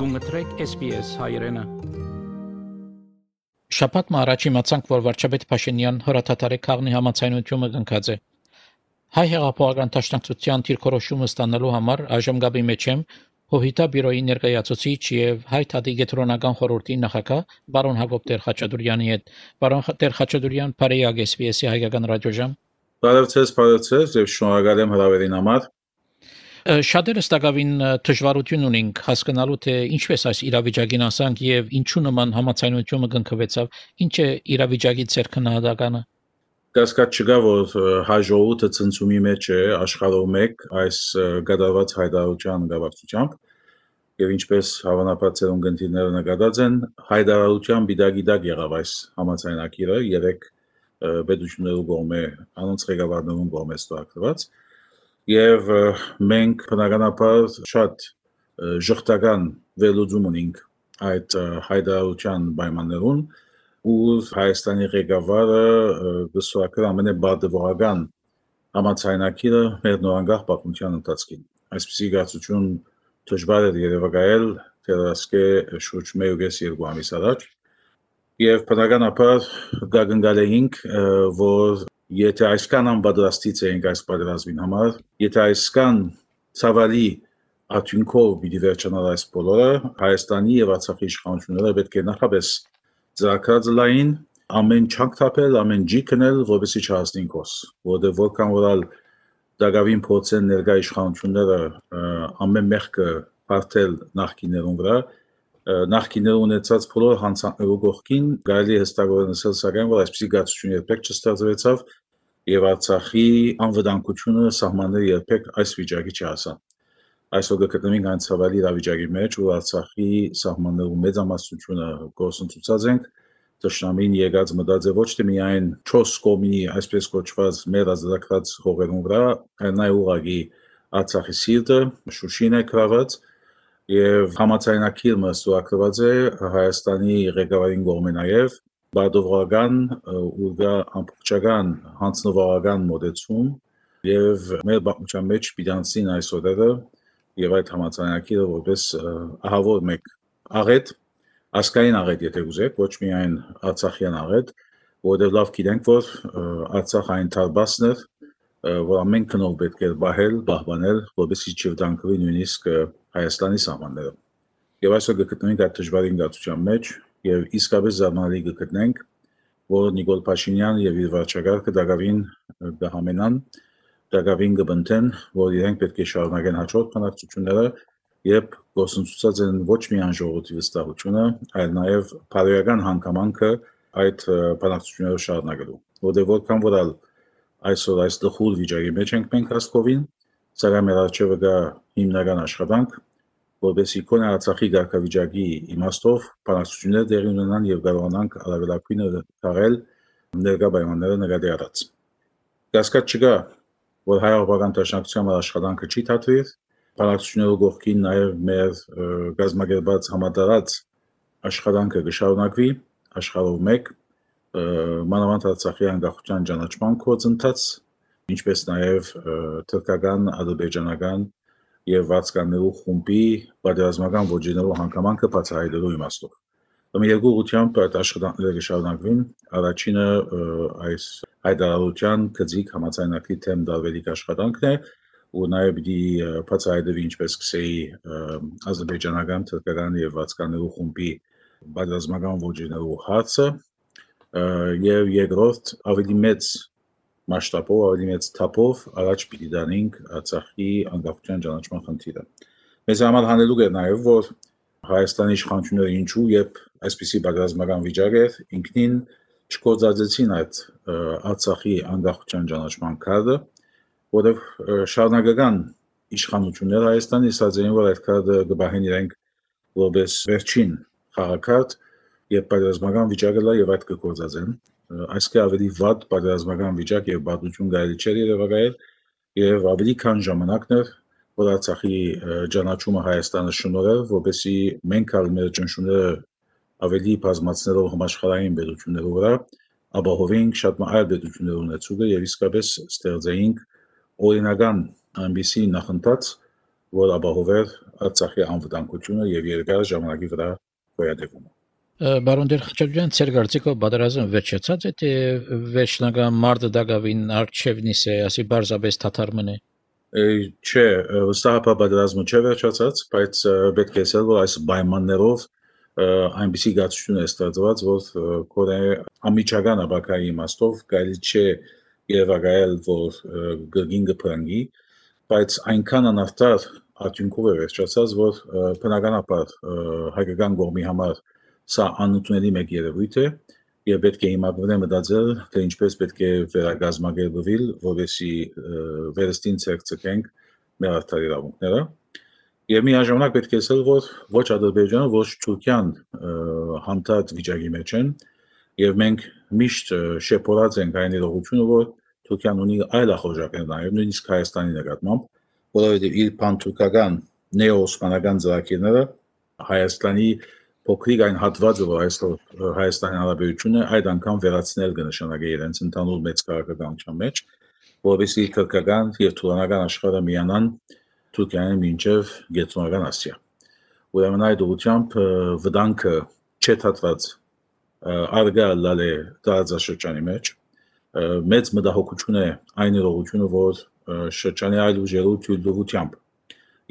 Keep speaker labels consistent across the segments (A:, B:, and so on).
A: Գունգտրեք SPS հայրենը։
B: Շաբաթ առաջ իմացանք, որ վարչապետ Փաշինյան հրաթաթարի քաղնի համաձայնությունը կնքած է։ Հայ հեղափոխական դաշնակցության դիրքորոշումը ստանալու համար այժմ գաբի մեջ եմ Հովիտա բյուրոյի ներկայացուցիչ եւ Հայ թադի գետրոնական խորհրդի նախագահ բարոն Հակոբ Տեր-Խաչատուրյանի հետ։ Բարոն Տեր-Խաչատուրյան, բարեյակ SPS-ի հայկական ռադիոժամ։
C: Բարևձեզ եւ շնորհակալ եմ հրավերին համար։
B: Շատերս տակավին դժվարություն ունենք հասկանալու թե ինչպես այս իրավիճակին ասանք եւ ինչու նման համաձայնությունը կնքվեցավ, ինչ է իրավիճակի ցերքնահատականը։
C: Կասկած չկա, որ հայ ժողովուրդը ցնցումի մեջ է աշխարհով մեկ այս գդարված հայտարարության գավառությամբ եւ ինչպես հավանաբար ցերունգնդիրները նկատած են, հայտարարության բիդագիդակ եղավ այս համաձայնագիրը երեք պետություններու կողմէ անոնց ղեկավարներուն կողմէ ստորագրված եւ մենք բնականաբար շատ ժխտական վերլուծում ունենք այդ հայտարարության պայմաններուն ու Հայաստանի ղեկավարը գսուակր ամենաբարձրական համաձայնագիրը մեր նորանգах պատմության ընթացքին այսպիսի գացություն դժվար է երևակայել դեռասկե շուրջ 1.5 ամիս առաջ եւ բնականաբար գագնգալեինք որ եթե այսքան անպատրաստից էինք այս պատերազմին համար, եթե այսքան ցավալի աթյունքով պիտի վերջանար այս բոլորը, Հայաստանի եւ Արցախի իշխանությունները պետք է նախապես ծրագրածլային ամեն չանք թափել, ամեն ջի քնել, որպեսզի չհասնին կոս, որտեղ որքան որալ դակավին փորձեն ներկա իշխանությունները ամեն մեղքը բարթել նախկիներուն վրա, նախկիները ունեցած բոլոր հանցանքներու կողքին գալի հստակորեն ասել սակայն որ այսպիսի գացություն երբեք չստեղծվեցավ եւ Արցախի անվտանգությունը սահմանները երբեք այս վիճակի չհասան։ Այսօր գտնվենք այն ցավալի իրավիճակի մեջ, որ Արցախի սահմաններու մեծամասնությունը գործընթացած ենք, դաշնամին եկած մտած է ոչ թե միայն 4 կողմի այսպես կոչված մեր ազատագրած հողերուն վրա, այլ նաեւ ուղղակի Արցախի սիրտը Շուշին է գրաված եւ համաձայնագիրը ստորագրված է Հայաստանի ղեկավարին կողմէ նաեւ բադովական ու ամբողջական հանձնվարական մոդեցում եւ մեր բախմության մեջ պիտանցին այս օրերը եւ այդ համաձայնագիրը որպես ահավոր մեկ աղետ ասկային աղետ եթե ուզեք ոչ միայն արցախյան աղետ որովհետեւ լավ գիտենք որ Արցախ այն տարբասն է որ ամեն քնով պետք է բահել պահպանել որպեսզի չվտանգվի նույնիսկ Հայաստանի սահմանները եւ այսօր գտնենք այդ դժվարին գացության մեջ եւ իսկապես զարմանալի գտնենք որ Նիկոլ Փաշինյան եւ իր վարչակարգը դակավին կհամենան դակավին կբնթեն որ իրենք պետք է շարունակեն հաջորդ բանակցությունները երբ գործընթացած են ոչ միայն ժողովրդի վստահությունը այլ նաեւ բարոյական հանգամանքը այդ բանակցությունները շարունակելու որտեղ որքան որալ այսօր այս դխուր վիճակի մեջ ենք մենք հասկովին սակայն մեր արժեվը կա հիմնական աշխատանք որպեսզի կոնե Արցախի ղեկավարի իմաստով բանակցություններ տեղի ունենան եւ կարողանանք արագակույնը թաղել ներկա պայմանները նկատի առած։ Կասկած չկա, որ հայ-արաբական դաշնակցության աշխատանքը չի թատրիր, բանակցություններու կողքին նաեւ մեր գազམ་ակերպած համատարած աշխատանքը կշարունակվի աշխարհով մեկ մանավանդ Արցախի անկախության ճանաչման գործընթաց, ինչպես նաեւ թուրքական, ադրբեջանական եւ վացկաներու խումբի պատերազմական ոճերու հանգամանքը բացահայտելու իմաստով։ Ըմ երկու ուղղությամբ այդ աշխատանքները կշարունակվին, առաջինը այս հայտարարության գծիկ համաձայնագրի թեմ դարվելիք աշխատանքն է ու նաեւ պիտի բացահայտվի ինչպես կսեի ադրբեջանական, թուրքական եւ վացկաներու խումբի պատերազմական ոճերու հարցը եւ երկրորդ ավելի մեծ մասշտաբով ավելի մեծ թափով առաջ պիտի դանենք Արցախի անկախության ճանաչման խնդիրը։ Մեզ համար հանելուկ է նաեւ որ Հայաստանի իշխանությունները ինչու երբ այսպիսի պատերազմական վիճակ է ինքնին չկործածեցին այդ Արցախի անկախության ճանաչման քարտը, որովհետեւ շարունակական իշխանությունները Հայաստանի ասացին որ այդ քարտը կբահեն իրենք որպես վերջին խաղակարդ եւ պատերազմական վիճակը լա եւ այդ կգործածեն այսքան ավելի վատ պատերազմական վիճակ եւ բادوություն գալի չէր երևակայել եւ ավելի քան ժամանակն էր որ Արցախի ճանաչումը Հայաստանը շնորհել որպեսզի մենք մեր ճնշումները ավելի բազմացնելով համաշխարհային պետություններով վրա ապահովենք շատ այլ պետություններ ունեցուկը եւ իսկապես ստեղծեինք օրինական այնպիսի նախընթաց որ ապահովեր Արցախի անվտանգությունը եւ երկար ժամանակի վրա գոյատևումը։
B: Բարոն Դերխաչյան, ցեր կարծիքով պատերազմը վերջացած է, թե վերջնական մարտը դակավին արչևնիս է, ասի բարձաբես թաթար մնե։
C: Չէ, վստահաբար պատերազմը չէ վերջացած, բայց պետք է ասել, որ այս պայմաններով այնպիսի գացություն է ստեղծված, որ կորե ամիջական ապակայի իմաստով կարելի չէ երևակայել, որ գրգին կփրկի, բայց այնքան անարդար արդյունքով է վերջացած, որ բնականաբար հայկական կողմի համար սա անընդունելի մեկ երևույթ է եւ պետք է հիմա մտածել, թե ինչպես պետք է վերագազմագերբվել, որովհետեւ վերստին ցերկցենք մեր արդար իրավունքները եւ միաժամանակ պետք է ասել, որ ոչ Ադրբեջանը, ոչ Թուրքիան հանդարտ վիճակի մեջ են եւ մենք միշտ շեփորած ենք այն իրողությունը, որ Թուրքիան ունի այլ ախորժակներ նաեւ նույնիսկ Հայաստանի նկատմամբ, որովհետեւ իր պանթուրքական նեո-օսմանական ծրագիրները Հայաստանի փոքրիկ այն հատվածը, որ այսօր Հայաստանի Հանրապետությունը այդ անգամ վերացնել կնշանակի իրենց ընդհանուր մեծ քաղաքականության մեջ, որովհետեւ թուրքական եւ թուրանական աշխարհը միանան Թուրքիայի մինչեւ Գերմանական Ասիա։ Ուրեմն այդ ուղղությամբ վտանգը չթաթված արգա լալե տարածաշրջանի մեջ մեծ մտահոգություն է այն իրողությունը, որ շրջանի այլ ուժերու թույլտվությամբ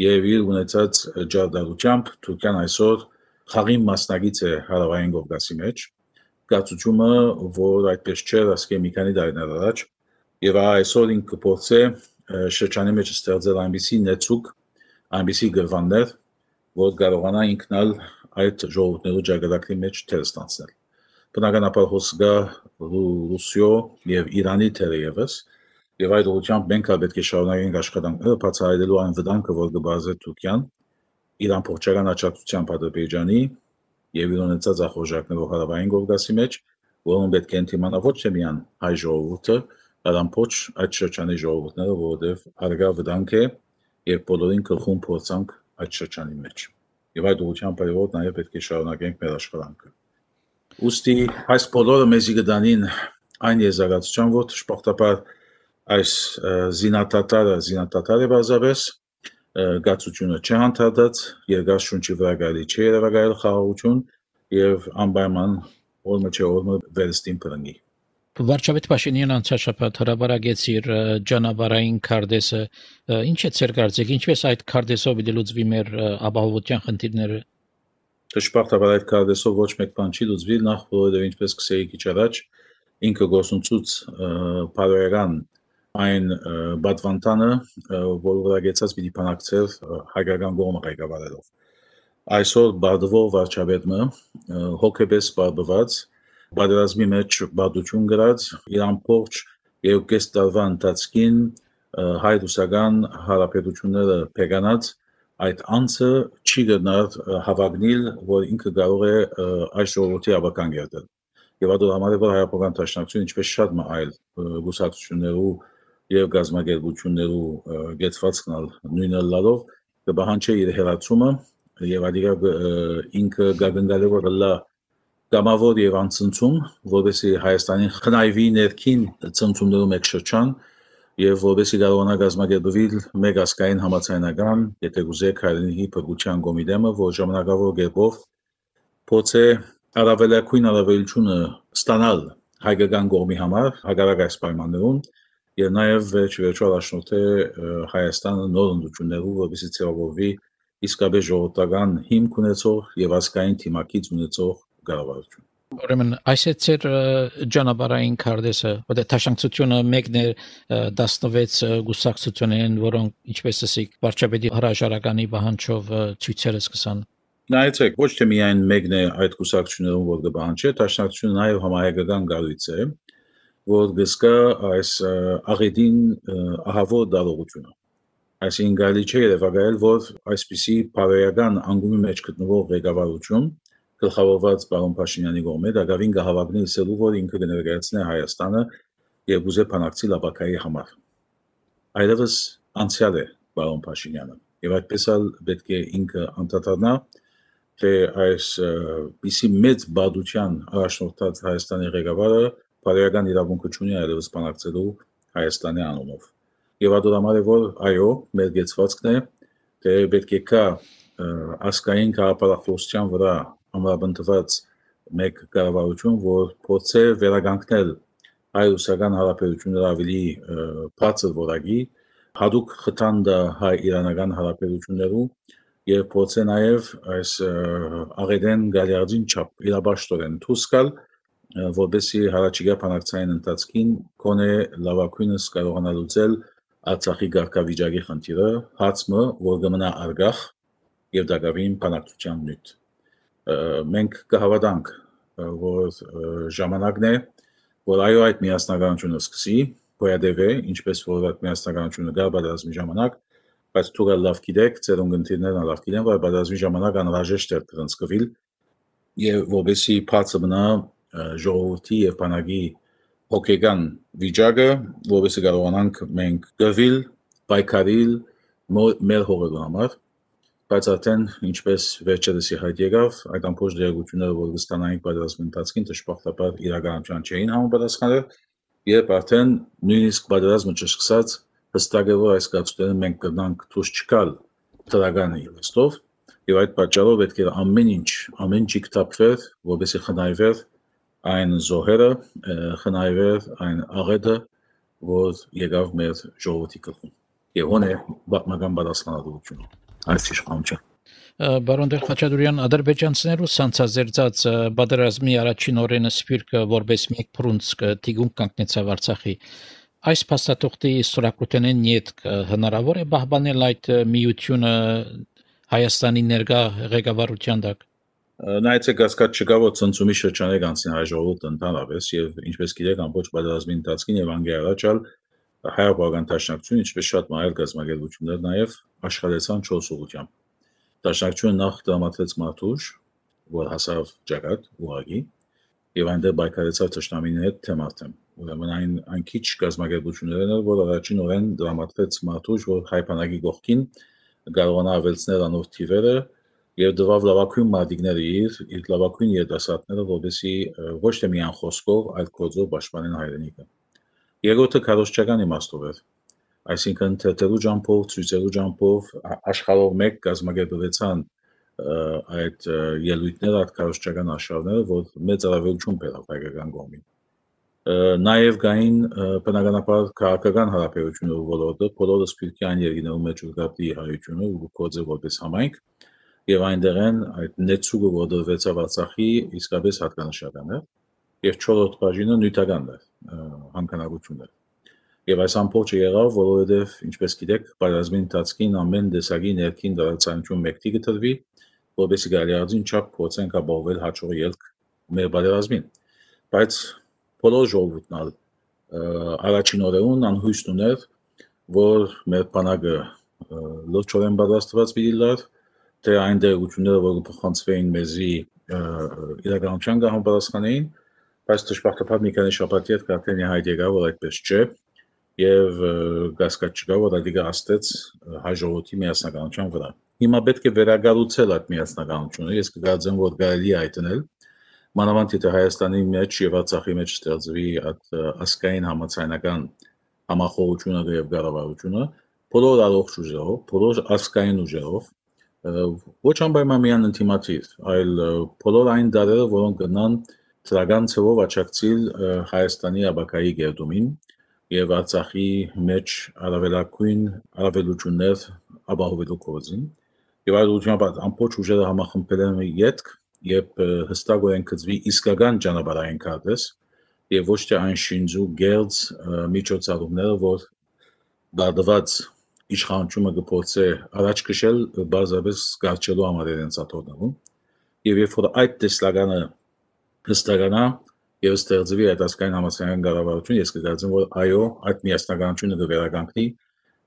C: եւ իր ունեցած ջարդարությամբ Թուրքիան այսօր խաղին մասնագիծ է հարավային Կովկասի մեջ, գացությունը, որ այդպես չէր ասկե մի քանի տարիներ առաջ, եւ այսօր ինքը փորձե շրջանի մեջ ստեղծել այնպիսի նեցուկ, այնպիսի գրվաններ, որ կարողանա ինքնալ այդ ժողովուրդների ջագրակի մեջ թեր ստանցնել։ Բնականաբար հոսգա Ռուսիո եւ Իրանի թերևս, եւ այդ ուղղությամբ մենք պետք է շարունակենք աշխատանքները բացահայտելու այն վտանգը, որ կբարձր Թուրքիան իր ամբողջական աջակցությամբ Ադրբեջանի եւ իր ունեցած ախորժակներով հարավային Կովկասի մեջ, որոնք պետք է ընդդիմանա ոչ թե միան հայ ժողովուրդը, այլ ամբողջ այդ շրջանի ժողովուրդները, որովհետեւ արգա վտանգ է եւ բոլորին գլխում փորձանք այդ շրջանի մեջ։ Եվ այդ ուղղությամբ այո, նաեւ պետք է շարունակենք մեր աշխատանքը։ Ոստի այս բոլորը մեզի կդանին այն եզրակացության, որ շփոթաբար այս զինատատարը բազաբես գացությունը չհանդարտած երկար շունչի վրա գալի չէ երևակայել խաղաղություն եւ անպայման օրը չէ օրը վերստին փրկի։
B: Վարչապետ Փաշինյան անցած շաբաթ հրաբարագեց իր ճանապարհային քարտեզը, ինչ է ցեր կարծիք, ինչպես այդ քարտեզով դիլուծվի մեր ապահովության խնդիրները։
C: Դժբախտաբար այդ քարտեզով ոչ մեկ բան չի լուծվի, նախ որովհետեւ ինչպես կսեի քիչ առաջ ինքը գործունեություն բարոյական այն բադվանտանը, որ վրագեցած պիտի բանակցեր հայկական կողմը ղեկավարելով։ Այսօր բադվող վարչապետը հոգեբես բարբված պատերազմի մեջ բադություն գրած իր ամբողջ երկու տարվա ընթացքին հայ-ռուսական հարաբերությունները փեկանած այդ անձը չի գնալ հավակնիլ, որ ինքը կարող է այս ժողովրդի ավական գերտել։ Եվ այդ համար է որ հայապական դաշնակցություն ինչպես շատ այլ գուսակցություններու եւ գազագերբություններու գեցվածքնալ նույնը լալով կբահանջի իր հերացումը եւ ադիգա ինքը գագնգալով լա գամավոր եւ անցնցում, որովհետեւ Հայաստանի խնայվի ներքին ցնցումներու մեկ շրջան եւ որովհետեւ կարողանա գազագերբվել մեկ ասկային համացանական, եթե գուզեք հայրենի փրկության կոմիտեմը, որ ժամանակավոր գերբով փոցե առավելակույն առավելությունը ստանալ հայկական կողմի համար հակառակ այս պայմաններուն եւ նաեւ վերջո առաջնորդը Հայաստանը նոր ընդդություններով որովհետեւ ցեղավորվի իսկապես ժողովրդական հիմք ունեցող եւ ազգային թիմակից ունեցող կառավարություն։
B: Ուրեմն այս է ցեր ճանապարհային քարտեզը, որտեղ տաշնակցությունը մեկն է 16 գուսակցություններն, որոնք ինչպես ասիկ վարչապետի հրաժարականի պահանջով ցույցերը սկսան։
C: Նայեցեք, ոչ թե միայն մեկն է այդ գուսակցություններում, որ կբանջի, տաշնակցությունը նաեւ համահայկական գալույց է, որ գսկա այս աղետին ահավոր դարողությունը։ Այսինքն գալի չէ երևակայել, որ այսպիսի բարոյական անգումի մեջ գտնվող ղեկավարություն գլխավորված պարոն Փաշինյանի կողմից դակավին կհավակնի իսելու, որ ինքը կներկայացնի Հայաստանը եւ ուզե բանակցի լապակայի համար։ Այլևս անցյալ է պարոն Փաշինյանը եւ այդպես էլ պետք է ինքը անդրադառնա, թե այս պիսի մեծ բադության առաջնորդած Հայաստանի ղեկավարը բարոյական իրավունք ունի այլևս բանակցելու Հայաստանի անունով։ Եվ այդ համար է որ այո, մեր գեցվածքն է, թե պետք է կա ասկային քաղաքապետարության վրա ամրապնդված մեկ կառավարություն, որ փորձե վերականգնել հայ-ռուսական հարաբերությունները ավելի բարձր որակի, հատուկ խթան հայ-իրանական հարաբերություններում եւ փորձե նաեւ այս աղետեն գալիարդին չափ իրաբաշխորեն դուրս գալ, որովհետեւ հարաճիգա բանակցային ընթացքին կոնե լավակույնս կարողանա լուծել Արցախի ղեկավարի խնդիրը, հացմը, որ կմնա արգախ եւ դակավին բանակցության նյութ։ Մենք կհավատանք, որ ժամանակն է, որ այո այդ միասնականությունը սկսի, գոյատևե, ինչպես որ այդ միասնականությունը գա բادرազմի ժամանակ, բայց դուք լավ գիտեք, ձեր ընկերներն լավ գիտեն, որ բادرազմի ժամանակ անհրաժեշտ է դրանցկվել եւ որովհետեւ բացը մնա ժողովրդի եւ բանակի հոգեգան վիճակը, որովհետեւ կարողանանք մենք գվել, պայքարել մեր հողերու համար, բայց արդեն ինչպես վերջերս հայտ եկավ, այդ ամբողջ դերակցությունները, որ կստանային բادرազմի ընթացքին, դժբախտաբար իրականության չէին համապատասխանել, եւ արդեն նույնիսկ բادرազմը չսկսած հստակ է, որ այս կացությունները մենք կգնանք դուրս չգալ դրական իմաստով, եւ այդ պատճառով պետք է ամեն ինչ կթափվեր, որովհետեւ խնայվեր այն զոհերը, խնայվեր այն աղետը, որ եկավ մեր ժողովրդի գլխում։ Եվ հոն է բավական պատասխանատվություն այս իշխանության։
B: Բարոն Խաչատուրյան, ադրբեջանցիներու սանցազերծած բادرազմի առաջին օրենը սպիրկը որպես մեկ փրունցք տիգուն կանգնեցավ Արցախի։ Այս փաստաթղթի սորակութենեն նյետք հնարավոր է պահպանել այդ միությունը Հայաստանի ներկա ղեկավարության տակ։
C: Նայեցեք հասկաց չկա, որ ցնցումի շրջանակ անցին հայ ժողովուրդը ընդհանրապես եւ ինչպես գիտեք ամբողջ բادرազմի ընթացքին եւ անգե առաջալ հայապական տաշնակցություն, ինչպես շատ այլ գազམ་ագերություններ նաեւ աշխատեցան 4 ուղղությամբ։ Տաշնակցությունը նախ դրամատրեց Մարտուշ, որ հասավ Ջակատ ուղագի եւ այնտեղ բայկարեցավ թշնամիների հետ թեմատեմ։ Ուրեմն այն քիչ գազམ་ագերություններն էր, որ առաջին օրեն դրամատրեց Մարտուշ, որ հայ բանակի գողքին կարողանա ավելցնել անոր թիվերը եւ դվավ լավակույն մարտիկները իր լավակույն երիտասարդները, որովհետեւ ոչ թե միայն խոսքով, այլ գործով պաշտպանեն հայրենիքը։ Երկրորդը քարոզչական իմաստով էր, այսինքն թերթերու ջամփով, ցույցերու ջամփով աշխարհով մեկ գազམ་ագերբեցան այդ ելույթները, այդ քարոզչական աշխարհները, որ մեծ առավելություն բերավ հայկական կողմին։ Նաեւ կային բնականաբար քաղաքական հարաբերությունների ոլորտը, բոլորը սպիրկի այն երկիներու մեջ ուղղակի հայությունը ու կոծը որպես համայնք եւ այնտեղեն այդ նեցուգը որ դրվեցավ Արցախի իսկապես հատկանշական է եւ 4-րդ բաժինը նյութական է հանքանակություններ եւ այս ամբողջը եղավ որովհետեւ ինչպես գիտեք բادرազմի ընթացքին ամեն տեսակի ներքին դրացանություն մեկտի գտնվի որովհետեւ գալիարդին չափ փոցենք ապահովել հաջող ելք մեր բادرազմին բայց բոլոր ժողովուրդն առաջին օրերուն անհույս ուներ որ մեր բանակը լրջորեն պատրաստված դիլար թե այն դերությունները, որ փոխանցվեին մեզի իրականության համապատասխանային, բայց դժբախտաբար մի քանի շաբաթի հետ արդեն հայտ եկավ, որ այդպես չէ, եւ գասկած չկա, որ դա հաստեց հայ ժողովրդի միասնականության վրա։ Հիմա պետք է վերագառուցել այդ միասնականությունը, ես կգործեմ, որ կարելի է այտնել, մանավանդ եթե Հայաստանի մեջ եւ Արցախի մեջ ստեղծվի այդ ասկային համացանական համախոհությունը եւ կառավարությունը, բոլոր առողջ ուժերով, բոլոր ասկային ուժերով ոչ անպայմանական ինտիմատիվ, այլ բոլոր այն դարերը, որոնք կնան ծրական ցավով աճակցիլ Հայաստանի աբակայի գերդումին եւ Արցախի մեջ առավելություններ ապահովելու կողմին եւ այդ ուղղությամբ ամբողջ ուժերը համախմբել են յետք եւ հստակորեն գծվի իսկական ճանապարհային քարտեզ եւ ոչ թե այն շինձու գերձ միջոցառումները, որ դադված իշխանությունը գործե առաջ քշել բազապես գարչելու համար իրենց աթոռներում եւ երբ որ այդ տեսլականը հստականա եւ ստեղծվի այդ ասկային համասարական կառավարություն ես կգործեմ որ այո այդ միասնականությունը կվերականգնի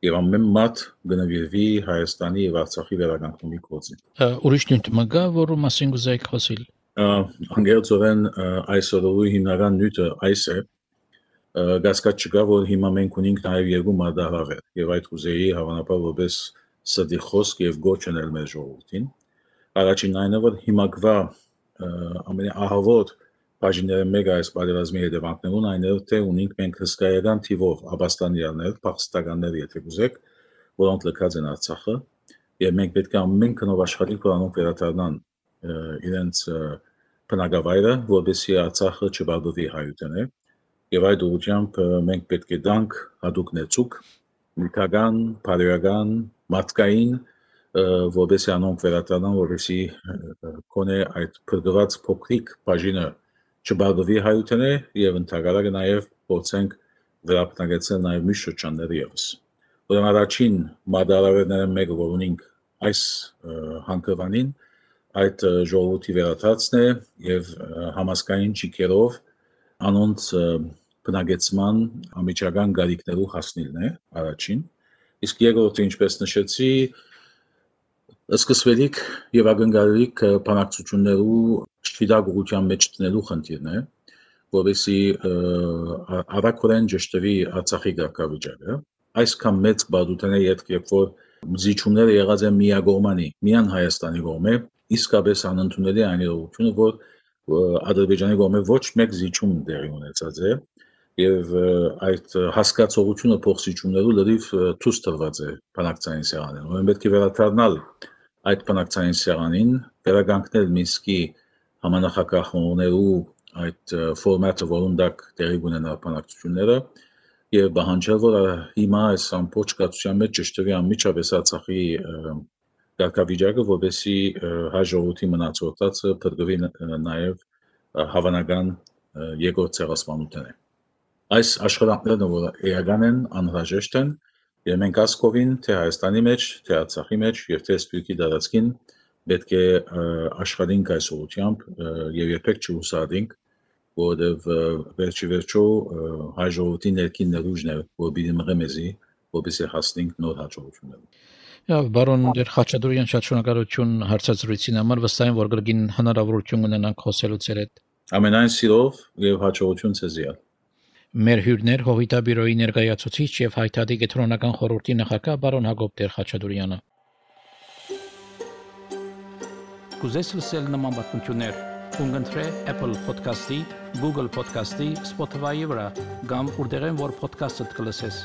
C: եւ ամեն մարդ կնվիրվի Հայաստանի եւ Արցախի վերականգնումի գործին
B: ուրիշ նյութ մգա որը մասին գուզեք խոսել
C: անգերցորեն այսօրու հիմնական նյութը այս է գասկած չկա որ հիմա մենք ունենք նաեւ երկու մարտահրավեր եւ այդ ուզեի հավանաբար որպես սդի խոսք եւ գոչնել մեր ժողովրդին առաջին այնը որ հիմա կվա ամենաահավոր բաժինները մեկը այս պատերազմի հետևանքներուն այն է թե ունենք մենք հսկայական թիվով աբաստանյաններ, փախստականներ եթե գուզեք, որոնք լքած են Արցախը եւ մենք պետք է ամեն կնով աշխատենք, որ անոնք վերադառնան իրենց բնակավայրը, որովհետեւ Արցախը չբաղադրվի հայութենը, եւ այդ ուղղությամբ մենք պետք է դանք հadoop ներծուկ, միտական, բարոյական, մարդկային, որովհետեւ անոնք վերադառնան, որովհետեւ կոնե այդ փրկված փոքրիկ բաժինը չբաղադրվի հայութենը եւ ընդհանրապես նաեւ փորձենք վերապնագեցնել նաեւ մյուս շրջանները եւս։ Ուրեմն առաջին մարտահրավերները մեկը որ ունենք այս հանգրվանին այդ ժողովրդի վերաթացն է եւ համասկային ճիքերով անոնց բնագեցման ամիջական գարիկներու հասնելն է առաջին իսկ երկրորդը ինչպես նշեցի սկսվելիք եւ ակնկալիք բանակցություններու շտիդագության մեջ տնելու խնդիրն է որովհետեւ առաքորեն ճշտվի Արցախի ղեկավարը այսքան մեծ բադութեն է երբ որ զիջումները եղած են միագողմանի միան Հայաստանի կողմէ իսկապես անընդունելի այն իրողությունը որ Ադրբեջանի կողմէ ոչ մեկ զիջում տեղի ունեցած է եւ այդ հասկացողությունը փոխզիջումներու լրիվ ցույց տրված է բանակցային սեղանին ուրեմն պետք է վերադառնալ այդ բանակցային սեղանին վերականգնել Մինսկի համանախագահողներու այդ ֆորմատը որոնդակ տեղի ունենա բանակցությունները եւ բանջել որ հիմա այս ամբողջ կացության մեջ ճշտվի անմիջապես Արցախի ղեկավարը որովհետեւ հայ ժողովրդի մնացորդածը փրկվի նաեւ հավանական երկրորդ ցեղասպանութեն է այս աշխատանքները որ էական են անհրաժեշտ են եւ մենք ասկովին թե Հայաստանի մեջ թե Արցախի մեջ եւ թե Սփյուռքի դարածքին պետք է աշխատենք այս ուղղությամբ եւ երբեք չհուսադենք որովհետեւ վերջի վերջո հայ ժողովրդի ներքին ներուժն է որ պիտի մղի մեզի որպեսզի հասնենք նոր հաջողությունների
B: Բարոն Դեր Խաչատուրյան շատ շնորհակալություն հարցազրույցին համար վստահ եմ որ գրգին հնարավորություն ունենանք խոսելու ձեր հետ
C: ամենայն սիրով եւ հաջողություն ցեզի
B: Մեր հյուրներ Հովիտաբիրոյի ներկայացուցիչ եւ Հայտարարի կենտրոնական խորհրդի նախագահ բարոն Հակոբ Տեր Խաչատուրյանը
A: Կուզես լսել նման բանություններ Ունգընտրե Apple Podcast-ի, Google Podcast-ի, Spotify-ի վրա, կամ որտեղեն որ podcast-ըդ կլսես։